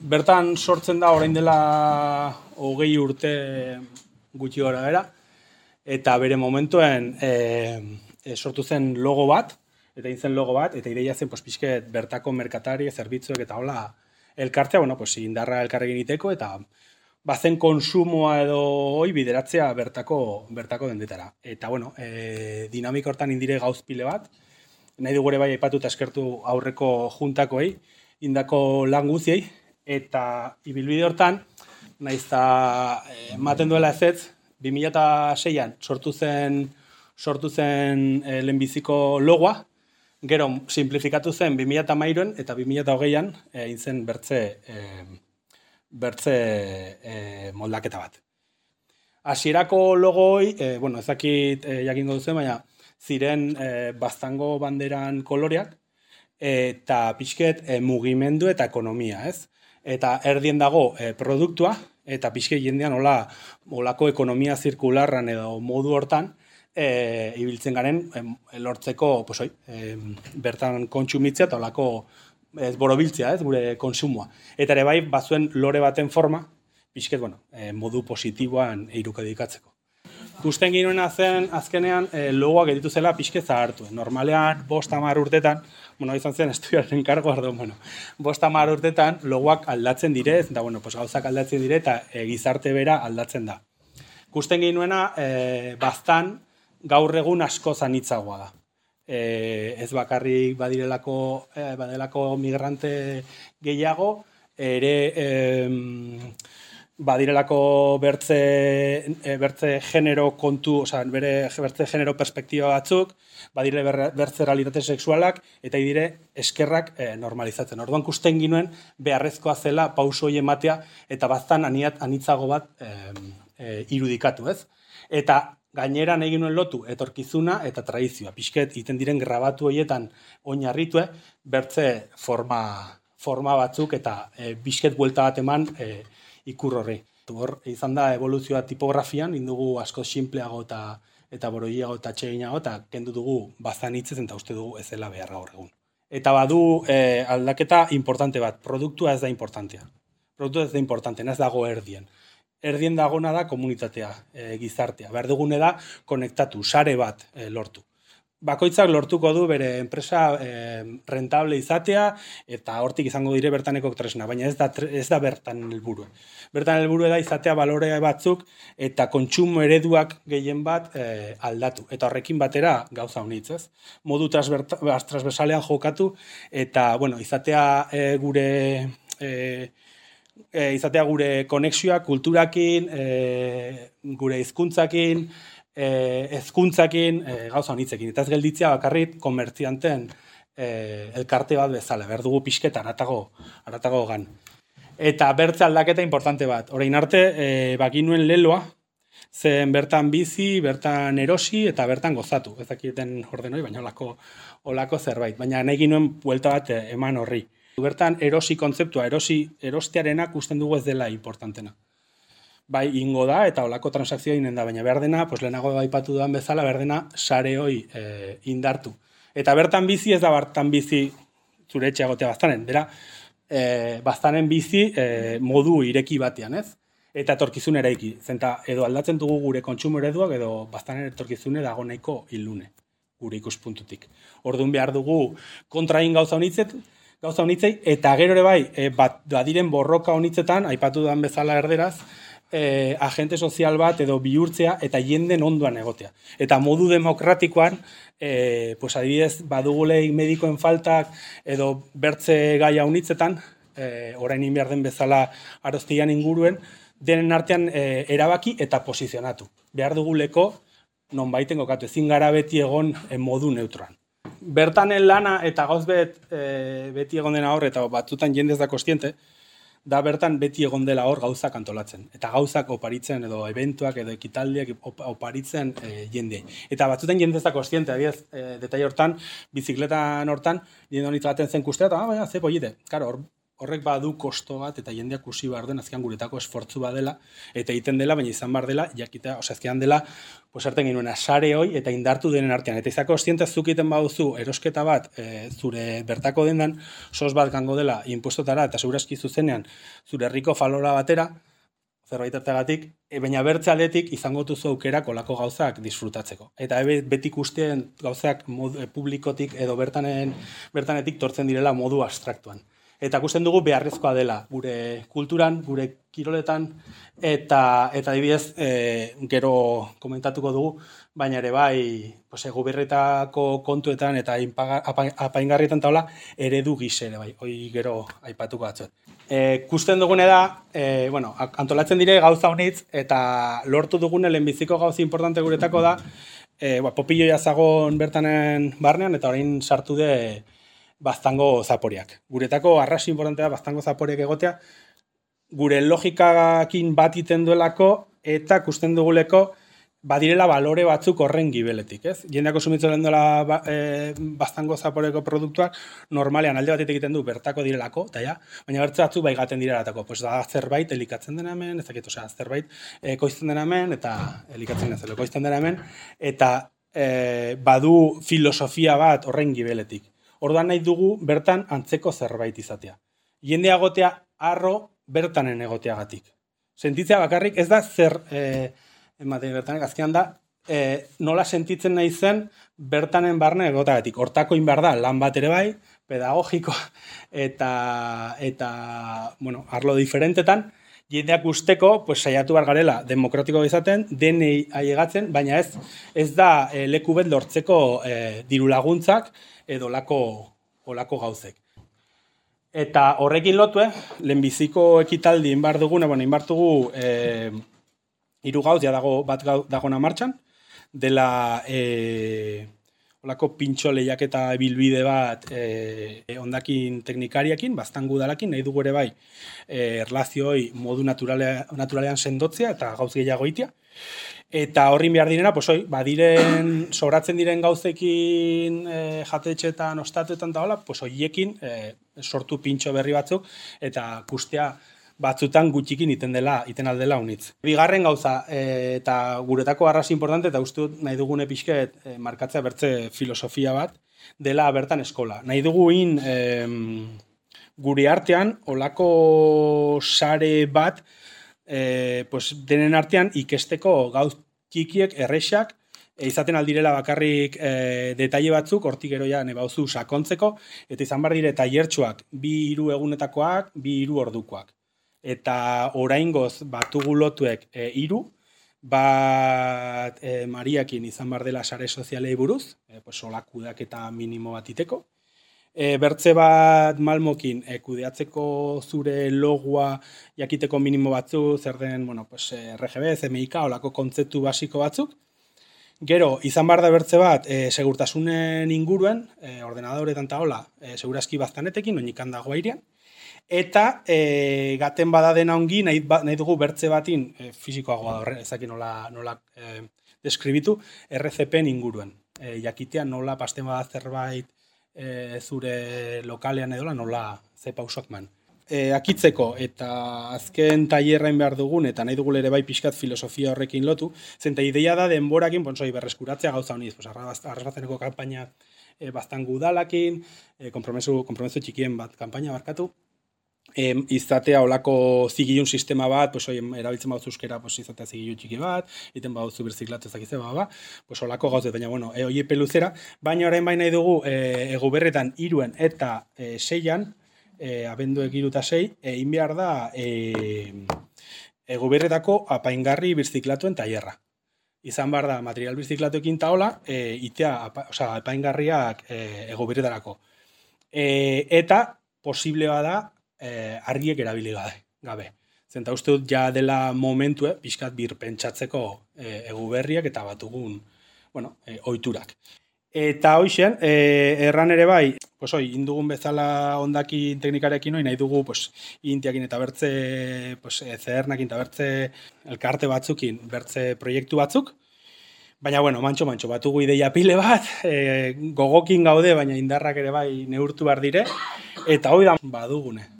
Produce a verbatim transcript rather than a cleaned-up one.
bertan sortzen da orain dela hogei urte gutxi gora bera, eta bere momentuen e, e, sortu zen logo bat, eta egin zen logo bat, eta ideia zen pues, pixket bertako merkatari, zerbitzuek eta hola elkartzea, bueno, pues, indarra elkarrekin iteko, eta bazen konsumoa edo hoi bideratzea bertako, bertako dendetara. Eta, bueno, e, dinamika hortan indire gauzpile bat, nahi dugu ere bai aipatu eta eskertu aurreko juntakoei, indako lan guziei, eta ibilbide hortan, nahiz eta ematen duela ez ez, bi mila seian sortu zen, sortu zen e, lehenbiziko logoa, gero simplifikatu zen bi mila hamairuan eta bi mila hogeian egin zen bertze, e, bertze e, moldaketa bat. Hasierako logoi, e, bueno, ez dakit e, jakingo duzen, baina ziren e, baztango banderan koloreak, eta pixket e, mugimendu eta ekonomia, ez? Eta erdien dago e, produktua, eta pixket jendean hola, holako ekonomia zirkularran edo modu hortan, e, ibiltzen garen e, lortzeko, pues, oi, e, bertan kontsumitzea eta holako ez borobiltzea, ez, gure konsumoa. Eta ere bai, bazuen lore baten forma, pixket, bueno, e, modu positiboan eirukadikatzeko. Gusten ginoena zen, azkenean, e, logoak editu zela pixket zahartu. Normalean, bost hamar urtetan, bueno, izan zen estudiaren kargo, ardon, bueno, bost hamar urtetan logoak aldatzen direz, eta, bueno, pues, gauzak aldatzen dire, eta e, gizarte bera aldatzen da. Gusten ginoena, e, baztan, gaur egun asko zanitzagoa da. E, ez bakarrik badirelako, e, badirelako migrante gehiago, ere e, badirelako bertze, e, bertze genero kontu, oza, bere bertze genero perspektiba batzuk, badire bertze realitate sexualak, eta dire eskerrak e, normalizatzen. Orduan kusten ginuen beharrezkoa zela pauso hori ematea, eta baztan aniat, anitzago bat e, e, irudikatu, ez? Eta gaineran egin nuen lotu etorkizuna eta tradizioa. Pixket, iten diren grabatu horietan oinarritue, bertze forma, forma batzuk eta e, pixket buelta bat eman e, ikur horri. Hor, izan da evoluzioa tipografian, indugu asko simpleago eta eta boroiago eta txeginago, eta kendu dugu bazan hitzez, eta uste dugu ez dela beharra gaur egun. Eta badu e, aldaketa importante bat, produktua ez da importantea. Produktua ez da importantea, ez dago erdien. Erdien dagona da komunitatea, e, gizartea. Behar dugune da konektatu, sare bat e, lortu. Bakoitzak lortuko du bere enpresa e, rentable izatea, eta hortik izango dire bertaneko tresna, baina ez da, ez da bertan helburua. Bertan helburua da izatea balorea batzuk eta kontsumo ereduak gehien bat e, aldatu. Eta horrekin batera gauza honitz, ez? Modu transversalean jokatu, eta bueno, izatea e, gure... E, E, izatea gure konexioa kulturakin, e, gure hizkuntzakin, e, hezkuntzakin, e, gauza honitzekin. Eta ez gelditzea bakarrit komertzianten e, elkarte bat bezala, behar dugu pixketa, aratago, aratago gan. Eta bertze aldaketa importante bat. Orain arte, e, bakinuen leloa, zen bertan bizi, bertan erosi eta bertan gozatu. Ez dakiten ordenoi, baina olako, olako zerbait. Baina nahi ginuen buelta bat eman horri. Bertan erosi kontzeptua, erosi erostearenak usten dugu ez dela importantena. Bai, ingo da eta olako transakzioa inen da, baina behar dena, pues lehenago aipatu duan bezala, behar dena sare hoi e, indartu. Eta bertan bizi ez da bertan bizi zure etxea gotea baztanen, bera, e, baztanen bizi e, modu ireki batean, ez? Eta etorkizun eraiki. Zenta, edo aldatzen dugu gure kontsumo ereduak, edo baztanen etorkizune dago nahiko ilune, gure ikuspuntutik. Orduan behar dugu kontrain gauza honitzet, gauza honitzei, eta gero ere bai, e, bat, badiren borroka honitzetan, aipatu duan bezala erderaz, e, agente sozial bat edo bihurtzea eta jenden ondoan egotea. Eta modu demokratikoan, e, pues adibidez, badugulei medikoen faltak edo bertze gaia honitzetan, e, orain behar den bezala aroztian inguruen, denen artean e, erabaki eta posizionatu. Behar duguleko, non baiten kokatu, ezin gara beti egon e, modu neutroan. Bertanen lana eta gauz bet, e, beti egon dena hor, eta batzutan jendez da kostiente, da bertan beti egon dela hor gauzak antolatzen. Eta gauzak oparitzen, edo eventuak, edo ekitaldiak oparitzen e, jende. Eta batzutan jendez da kostiente, adiez, e, detai hortan, bizikletan hortan, jende honitz baten zen kustea, eta ah, baina, ze pollite. Karo, hor horrek badu kosto bat, eta jendeak kusi behar duen, azkean guretako esfortzu badela, eta egiten dela, baina izan behar dela, jakita, ose, azkean dela, pues harten ginuena, sare hoi, eta indartu denen artean. Eta izako ostientez zukiten baduzu, erosketa bat, e, zure bertako dendan, sos bat gango dela, impuestotara, eta segurazki zuzenean, zure herriko falora batera, zerbait artegatik, e, baina bertze aldetik izango duzu aukera kolako gauzak disfrutatzeko. Eta ebe, beti ikusten gauzak modu, e, publikotik edo bertanen, bertanetik tortzen direla modu abstraktuan. Eta ikusten dugu beharrezkoa dela gure kulturan, gure kiroletan, eta eta adibidez e, gero komentatuko dugu, baina ere bai, pues, goberretako kontuetan eta apaingarrietan taula eredu gise ere bai, hoi gero aipatuko batzuet. E, kusten dugune da, e, bueno, antolatzen dire gauza honitz, eta lortu dugune lehenbiziko gauza importante guretako da, e, ba, popilloia zagon bertanen barnean, eta orain sartu de baztango zaporiak. Guretako arrasi importantea baztango zaporiak egotea, gure logikakin bat iten duelako, eta kusten duguleko badirela balore batzuk horren gibeletik, ez? Jendeak konsumitzen lehen duela ba, e, baztango zaporeko produktuak, normalean alde batetik egiten du bertako direlako, eta ja, baina bertze batzuk baigaten direlatako, pues da zerbait elikatzen dena hemen, ez dakit, osea, zerbait e, koizten dena hemen, eta elikatzen dena koizten dena hemen, eta e, badu filosofia bat horren gibeletik. Orduan nahi dugu bertan antzeko zerbait izatea. Jendea egotea arro bertanen egoteagatik. Sentitzea bakarrik ez da zer, e, ematen bertanek, azkenan da, e, nola sentitzen nahi zen bertanen barne egoteagatik. Hortako inbar da, lan bat ere bai, pedagogiko, eta, eta bueno, arlo diferentetan, jendeak usteko, pues, saiatu behar garela demokratiko izaten, denei aiegatzen, baina ez, ez da e, leku bet lortzeko e, diru laguntzak, edo olako, olako gauzek. Eta horrekin lotu, eh, lehenbiziko ekitaldi inbar duguna, bueno, inbar dugu eh, hiru gauz, ja dago bat dagona martxan, dela eh, olako pintxo lehiaketa bilbide bat eh, ondakin teknikariakin, baztangu dalakin, nahi dugu ere bai eh, erlazioi modu naturale, naturalean sendotzea eta gauz gehiago itia. Eta horrin behar direna, pues, oi, badiren, sobratzen diren gauzekin e, jatetxetan, ostatuetan da hola, pues, oiekin e, sortu pintxo berri batzuk, eta kustea batzutan gutxikin iten dela, iten aldela unitz. Bigarren gauza, e, eta guretako arrasi importante, eta uste dut nahi dugune pixket e, markatzea bertze filosofia bat, dela bertan eskola. Nahi duguin e, gure artean, olako sare bat, E, pues, denen artean ikesteko gauz txikiek, errexak, e, izaten aldirela bakarrik e, detaile batzuk, hortik gero ja nebauzu sakontzeko, eta izan behar dire tailertxoak, bi hiru egunetakoak, bi hiru ordukoak. Eta oraingoz batugu lotuek e, hiru, bat e, Mariakin izan behar dela sare sozialei buruz, e, pues, olakudak eta minimo bat iteko, E, bertze bat Malmokin e, kudeatzeko zure logua jakiteko minimo batzu, zer den, bueno, pues, R G B, C M Y K, olako kontzeptu basiko batzuk. Gero, izan behar da bertze bat, e, segurtasunen inguruen, e, ordenadoretan eta hola, e, segurazki baztanetekin, oinikan dago airean. Eta e, gaten bada dena ongi, nahi, nahi dugu bertze batin, e, fizikoagoa horre, ezakin nola, nola e, deskribitu, R C P-en inguruen. E, jakitea nola pasten bada zerbait, E, zure lokalean edola nola ze pausak man. E, akitzeko eta azken tailerrain behar dugun eta nahi dugu ere bai pixkat filosofia horrekin lotu, zenta ideia da denborakin, bonsoi, berreskuratzea gauza honiz, pues, arrazeneko kanpaina e, baztangu udalakin, e, kompromesu, kompromesu txikien bat kanpaina barkatu, E, izatea olako zigilun sistema bat, pues, oi, erabiltzen baduzu euskera, pues, izatea zigilu txiki bat, iten baduzu birziklatu ezakizte, ba, ba, pues, olako gauzet, baina, bueno, e, oie peluzera, baina orain baina dugu e, eguberretan iruen eta e, seian, e, abenduek iru eta sei, egin behar da e, eguberretako apaingarri birziklatuen tailerra. Izan behar da material birziklatuekin taola, e, itea, apa, oza, apaingarriak e, eguberretarako. E, eta posible bada, Eh, argiek erabili gabe. Zenta uste dut ja dela momentu, eh, pixkat birpentsatzeko eh, eguberriak eta batugun, bueno, eh, oiturak. Eta hoixen, eh, erran ere bai, pues hoi, indugun bezala ondakin teknikarekin hoi, nahi dugu, pues, intiakin eta bertze, pues, zernakin eta bertze elkarte batzukin, bertze proiektu batzuk, baina, bueno, mantxo, mantxo, batugu ideia pile bat, eh, gogokin gaude, baina indarrak ere bai neurtu behar dire, eta hoi da badugune.